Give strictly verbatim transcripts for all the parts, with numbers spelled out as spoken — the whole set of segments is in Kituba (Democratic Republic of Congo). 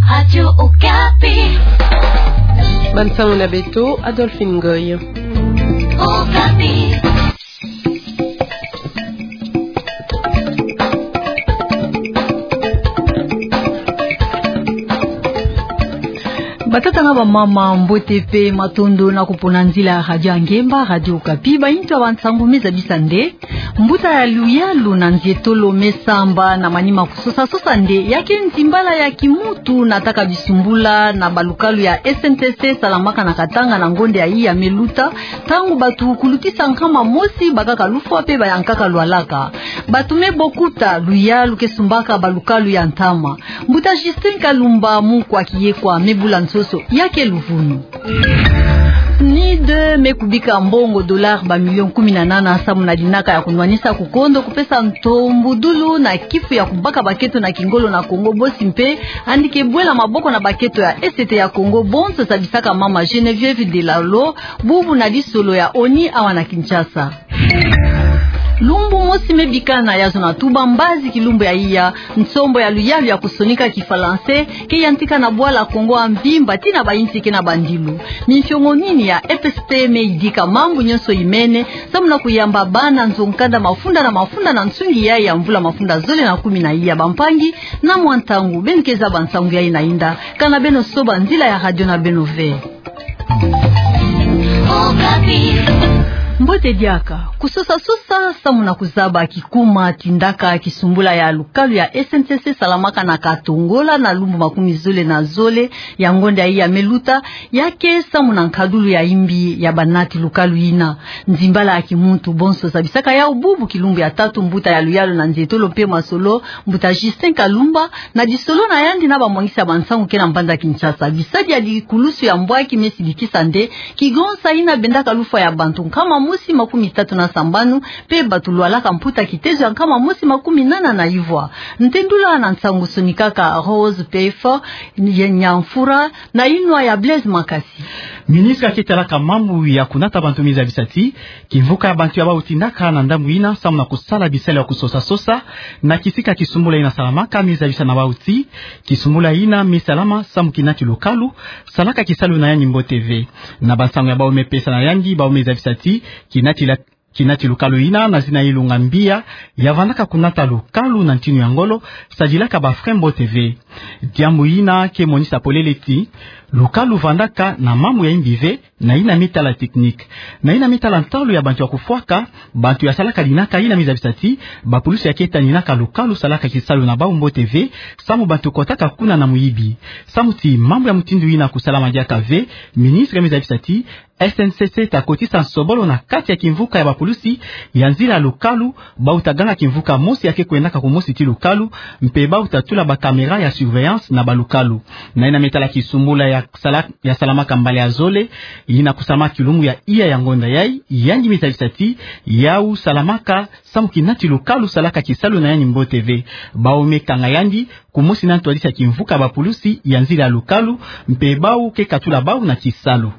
Radio Okapi. Bansango na beto, Adolphine Ngoy. Okapi. Batata na bamama, mbote pe matondo na kupona nzila ya Radio Ngemba, Radio Okapi. Baintu ya bansango me zabisa nde mbuta ya luyalu na nzietolo me samba na manima kusosa-sosa nde ya ke nzimbala ya kimuntu na taka bisumbula na balukalu ya S N C C salamaka na Katanga na ngonde ya iya me luta, ntangu batu kulutisa nkama mosi bakaka lufwa pe bayankaka lwalaka. Batu me bokuta luyalu ke sumbaka balukalu ya ntama. Mbuta Justin Kalumba, munkwa kiyekwa, me bula nsoso ya ke luvunu. NIDE me kubika mbongo dollar ba million kumi na nana samu na dinaka ya kunwanisa kukondo kupesa ntombudulu na kifu ya kubaka baketo na kingolo na Kongo bosi mpe yandi ke bwela maboko na baketo ya Est ya Kongo bonso, zabisaka mama Geneviève Delalo, bubu na lisolo ya ONI awa na Kinshasa. Lumbu mosi me bikana ya zona tuba mbazi kilumbu ya iya, nsombo ya luyalu ya kusonika Kifalanse ke yantika na bwala Kongo ya mvimba tii na bainsi ke na bandilu. Mifiongo nini ya EPST me yidika mambu nyonso imene samu na kuyamba bana nzo nkanda mafunda na mafunda na nsungi yayi ya mvula mafunda zole na kumi na iya? Bampangi, na mwa ntangu beno ke zaba nsangu yayi na inda, kana beno soba nzila ya radio na beno ve. Mbote diaka. Kusosa-sosa samu na kuzaba kikuma tindaka kisumbula ya lukalu ya S N C C salamaka na Katongola na lumbu makumi zole na zole ya ngonde ya iya me luta, ya ke samu na nkadulu ya imbi ya banati lukalu ina. Nzimbala ya kimuntu bonso zabisaka yau bubu kilumbu ya tatu mbuta ya luyalu na nzietolo mpe masolo, mbuta Justin Kalumba, na lisolo na yandi na bamwangisi ya bansangu ke na mbanza Kinshasa. Bisadi ya dikulusu ya mbwaki me sidikisa nde kigonsa ina bendaka lufwa ya bantu nkama mosi makumi tatu na sambanu, mpe batu lwalaka mputa kitezo ya nkama mosi makumi nana na ivwa. Ntendula na nsangu sonikaka Rose Pefo, ye Nyamfura, na inwa ya Blaise Makasi. Ministre ya ke talaka mambu ya kunata bantu me zabisa ti kimvuka ya bantu ya bau tindaka na ndambu ina samu na kusala bisalu ya kusosa-sosa na kisika kisumbula ina salamaka, me zabisa na bau ti kisumbula ina me salama samu kinati lukalu salaka kisalu na yandi mbote ve. Na bansangu ya bau me pesa na yandi, bau me zabisa ti kinati la kinati lukalu ina na zina Ilunga Mbiya, ya vandaka kunata lukalu na ntinu ya ngolo, sadilaka ba frein mbote ve. Diambu ina ke monisa polele ti lukalu vandaka na mambu ya imbi ve, na ina me tala technique. Na ina me tala ntalu ya bantu ya kufwaka, bantu ya salaka dinaka ina me zabisa ti bapulusi ya ke taninaka lukalu salaka kisalu na bau mbote ve, samu bantu kotaka kuna na muyibi. Samu ti mambu ya mutindu ina kusalama diaka ve, ministre me zabisa ti S N C C ta kotisa nsobolo na kati ya kimvuka ya bapulusi ya nzila ya lukalu, bau ta ganga kimvuka mosi ya ke kwendaka kumosi ti lukalu, mpe bau ta tula ba caméra ya surveillance na balukalu. Na ina me tala kisumbula ya sala-, ya salamaka mbala ya zole, ina kusalama kilumbu ya iya ya ngonda yayi, yandi me zabisa ti yau salamaka samu kinati lukalu salaka kisalu na yandi mbote ve. Bau me kanga yandi kumosi na ntwadisi ya kimvuka ya bapulusi ya nzila ya lukalu, mpe bau ke katula bau na kisalu.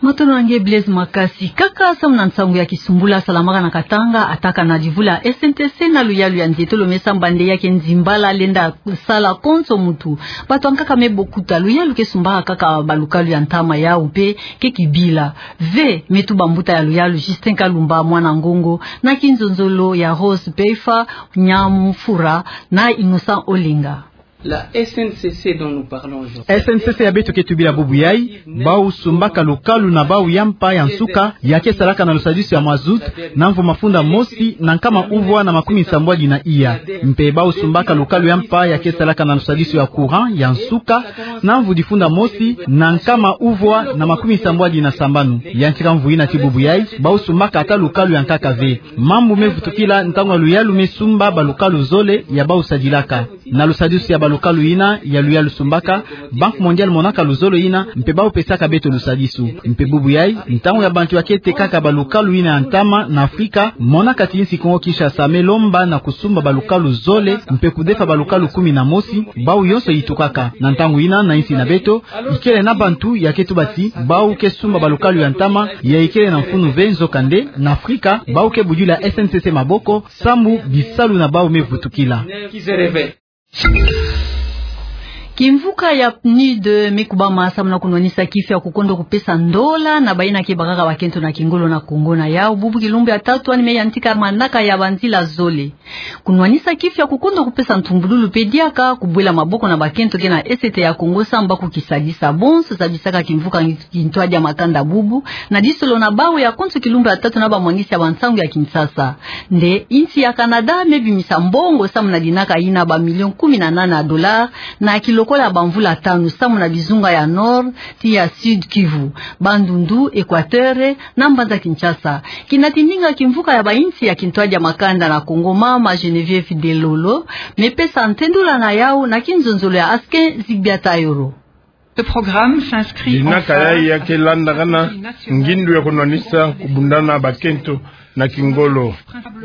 Matondo na nge Blaise Makasi. Kaka samu na nsangu ya kisumbula salamaka na Katanga, ataka na divu la S N C C na luyalu ya nzietolo me samba nde ya ke nzimbala lenda sala konso muntu. Bantu ya nkaka me bokuta, luyalu ke sumbaka kaka balukalu ya ntama yau mpe ke kibila. Ve me tuba mbuta ya luyalu Justin Kalumba, mwana ngongo na kinzonzolo ya Rose Pefo, Nyamfura na Innocent Olenga. La S N C C dont nous parlons aujourd'hui. S N C C ya beto ke tubila bubu yayi, bau sumbaka lukalu na bau ya mpa ya nsuka, ya ke salaka na lusadisu ya mazout, na mvu mafunda mosi na nkama uvwa na makumi sambwadi na iya. Mpe bau sumbaka lukalu ya mpa ya ke salaka na lusadisu ya courant ya nsuka, na mvu difunda mosi na nkama uvwa na makumi sambwadi na sambanu. Yantika mvu ina ti bubu yayi, bau sumbaka ata lukalu ya nkaka ve. Mambu me vutukila ntangu ya luyalu me sumba balukalu zole ya bau sadilaka. Na lusadisu ya balukalu ina ya luyalu sumbaka, Banque Mondiale monaka luzolo ina, mpe bau pesaka beto lusadisu. Mpe bubu yayi, ntangu ya bantu ya ke tekaka balukalu ina ya ntama na Afrika, monaka ti insi Kongo Kinshasa me lomba na kusumba balukalu zole, mpe kudefa balukalu kumi na mosi, bau yonso yitukaka. Na ntangu ina na insi na beto, ikele na bantu ya ke tuba ti bau ke sumba balukalu ya ntama, ya ikele na mfunu ve, nzokande na Afrika, bau ke budila S N C C maboko, samu bisalu na bau me vutukila. Kimvuka ya PNUD me kubama samu na kunwanisa kifi ya kukondo kupesa ndola na bayina ke bakaka bakento na kingolo na Kongo. Na yau bubu kilumbu ya tatu yandi me yantika manaka ya banzila zole. Kunwanisa kifi ya kukondo kupesa ntumbululu mpe diaka kubwela maboko na bakento ke na Est ya Kongo samu ba kukisadisa. Bonso zabisaka kimvuka kintwadi ya makanda bubu na disolo na bawu ya konso kilumbu ya tatu na bamwangisi ya bansangu ya Kinshasa. Nde insi ya Canada me bimisa mbongo samu na dinaka yina, ba millions kumi na nana ya dollars, na kilokola ya bamvula tanu samu na bizunga ya Nord ti ya Sud Kivu, Bandundu, Equateur na mbanza Kinshasa. Kina tindinga kimvuka ya bainsi ya kintwadi ya makanda na Kongo, mama Geneviève Delolo me pesa ntendula na yau na kinzonzolo ya Askin Zigbia Tayoro. Ce programme s'inscrit en phase avec la stratégie nationale. Dinaka yayi ya ke landakana ngindu ya kunwanisa kubundana bakento na kingolo.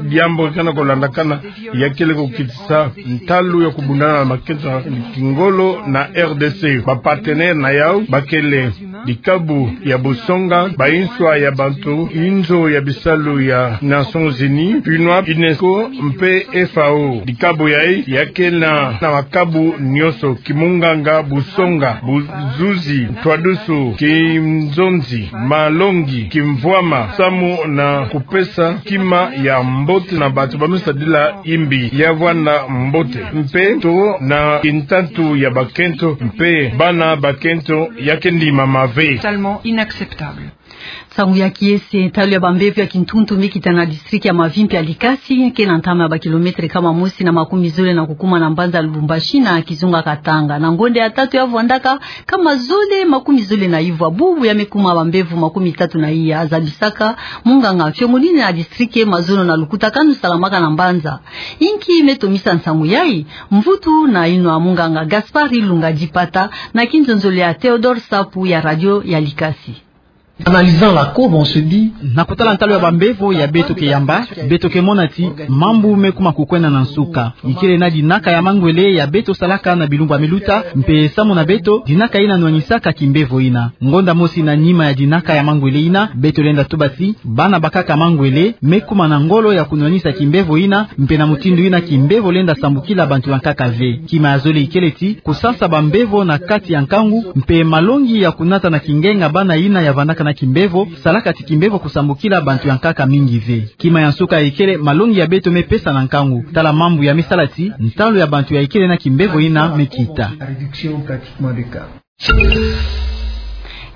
Diambu ke na kulandakana ya kele kukitisa ntalu ya kubundana bakento na kingolo na R D C. Ba partenaires na yau ba kele dikabu ya busonga, ba inswa ya bantu, inzo ya bisalu ya Nations Unies, PNUAP, UNESCO mpe F A O. Dikabu yayi ya ke na, na makabu nyonso: kimunganga, busonga, buzuzi, ntwadusu, kinzonzi, malongi, kimvwama, samu na kupesa kima ya mbote na bantu ba me sadila imbi ya vwanda mbote, mpe to na kintatu ya bakento mpe bana bakento ya ke ndimama ve. Totalement inacceptable. Nsangu ya kiese, ntalu ya bambevo ya kintuntu me kita na district ya Mavi mpe ya Likasi, ke na ntama ya ba kilomètres kama mosi na makumi zole na kukuma na mbanza Lubumbashi na kizunga Katanga. Na ngonda ya tatu ya vwandaka, kama zole makumi zole na ivwa bubu ya me kuma bambevo makumi tatu na iya, zabisaka munganga mfiongonini na district ke mazono na lukutakanu salamaka na mbanza. Inki me tomisa nsangu yayi? Mvutu na yinwa munganga Gaspard Ilunga Dipata na kinzonzolo ya Théodore Sapu ya radio ya Likasi. Analysant la courbe, on se dit, na kutala ntalu ya bambevo ya beto ke yamba, beto ke mona ti mambu me kuma kukwenda na nsuka. Ikele na dinaka ya mangwele ya beto salaka na bilumbu ya me luta, mpe samu na beto, dinaka yina nwanisaka kimbevo yina. Ngonda mosi na nima ya dinaka ya mangwele yina, beto lenda tuba ti bana bakaka mangwele me kuma na ngolo ya kunwanisa kimbevo yina, mpe na mutindu yina kimbevo lenda sambukila bantu ya nkaka ve. Kima ya zole ikele ti kusansa bambevo na kati ya nkangu, mpe malongi ya kunata na kingenga bana yina ya vandaka na kimbevo, salaka ti kimbevo kusambukila bantu ya nkaka mingi ve. Kima ya nsuka ikele malongi ya beto me pesa na nkangu. Tala mambu ya me sala ti ntalu ya bantu ya ikele na kimbevo yina me kita.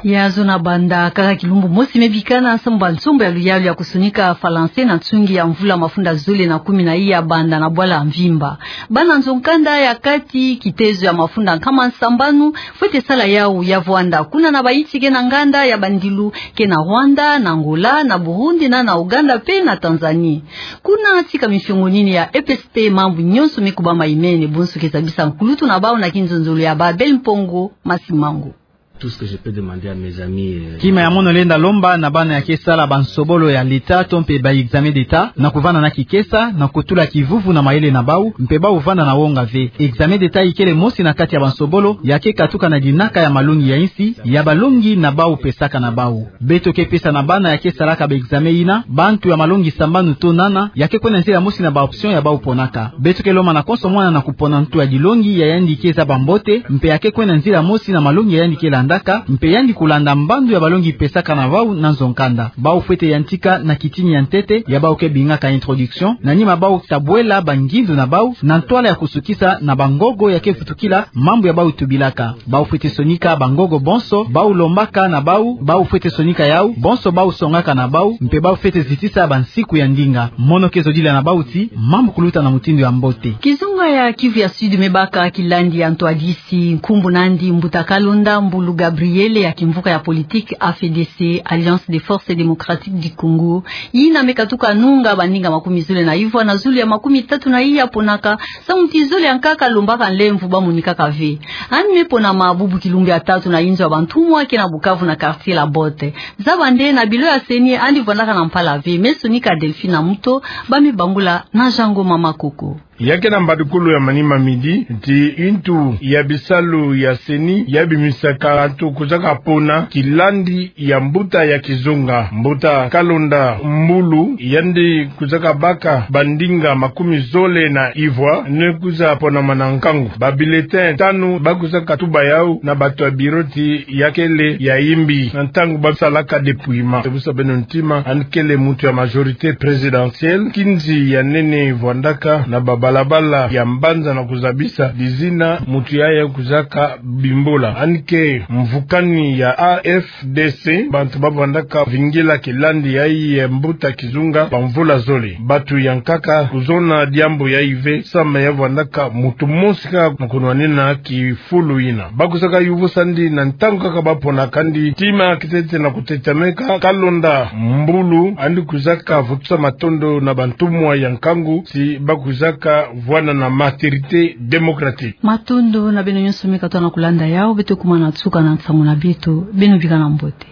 Ya zona banda kaka kilumbu mosi me bikana, samu ba nsombo ya luyalu ya kusonika falanse na nsungi ya mvula mafunda zole na kumi na iya banda na bwala mvimba. Bana nzo-nkanda ya kati kitezo ya mafunda nkama nsambanu fwete sala yau ya vwanda kuna na bainsi ke na nganda ya bandilu ke na Rwanda, na Angola, na Burundi, na, na Ouganda mpe na Tanzanie. Kuna tika mifiongonini ya E P S T, mambu nyonso me kubama imene, bonso ke zabisa nkulutu na bau na kinzonzolo ya Babel Mpongo Masimango. Tout ce que je peux demander à mes amis, euh, kima ya mono lenda lomba na bana ya ke sala bansobolo ya l'État to mpe ba examen d'État, na kuvanda na kikesa, na kutula kivuvu na mayele na bau, mpe bau vanda na wonga ve. Examen d'État ikele mosi na kati ya bansobolo ya ke katuka na dinaka ya malongi ya insi, ya balongi na bau pesaka na bau. Beto ke pesa na bana ya ke salaka ba examen yina bantu ya malongi sambanu to nana, ya ke kwenda nzila mosi na ba option ya bau ponaka. Beto ke lomba na konso mwana na kupona ntu ya dilongi ya yandi ke zaba mbote, mpe ya ke kwenda nzila mosi na malongi ya yandi ke landaka, mpe yandi kulanda mbandu ya balongi pesaka na bau na nzo-nkanda. Bau fwete yantika na kitini ya ntete ya bau ke bingaka introduction, na nima bau tabwela bangindu na bau na ntwala ya kusukisa na bangogo ya ke vutukila mambu ya bau tubilaka. Bau fwete sonika bangogo bonso bau lombaka na bau, bau fwete sonika yau bonso bau songaka na bau, mpe bau fwete zitisa bansiku ya ndinga. Mono ke zodila na bau ti mambu kuluta na mutindu ya mbote. Kizunga ya Kivu ya Sud me baka kilandi ya ntwadisi, nkumbu nandi Mbuta Kalonda Mbulu Gabriel, ya kimvuka ya politique A F D C, Alliance des Forces Démocratiques du Congo, yina me katuka nunga baninga makumi zole na ivwa na zulu ya makumi tatu na iya ponaka, samu ti zole ya nkaka lombaka nlemvo ba monikaka ve. Yandi me ponama bubu kilumbu ya tatu na inzo ya bantumwa ke na Bukavu na quartier La Botte. Zaba nde na bilo ya CENI yandi vandaka na mpala ve. Me sonika Delphine Muto, ba me bangula na Jean Ngoma Makoko. Ya ke na mbadukulu ya manima midi, ti ntu ya bisalu ya CENI ya bimisaka bantu kuzaka pona kilandi ya mbuta ya kizunga. Mbuta Kalonda Mbulu, yandi kuzaka baka bandinga makumi zole na ivwa, ne kuza ponama na nkangu. Ba bulletin tanu ba kuzaka tuba yau na bantu ya bureau ti ya kele ya imbi na ntangu ba salaka dépouillement. Tebusa beno ntima, yandi kele muntu ya majorité présidentielle, kinzi ya nene vwandaka na babalabala ya mbanza na kuzabisa dizina muntu yaya kuzaka bimbola. Yandi ke mvukani ya A F D C, bantu ba vwandaka vingila kilandi yayi ya mbuta kizunga ba mvula zole. Bantu ya nkaka kuzona diambu yayi ve, samu ya vwandaka muntu mosi kaka na kunwanina kifulu yina. Ba kuzaka yuvusa yandi na ntangu kaka ba ponaka yandi. Tima kitete na kutetameka, Kalonda Mbulu yandi kuzaka vutusa matondo na bantumwa ya nkangu ti ba kuzaka vwana na maturité démocratique. Matondo na beno nyonso me katoa na kulanda yau. Beto kuma na nsuka na nsangu na beto. Beno bikana mbote.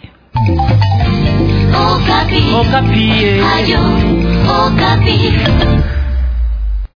Okapi. Okapi, eh. Radio Okapi.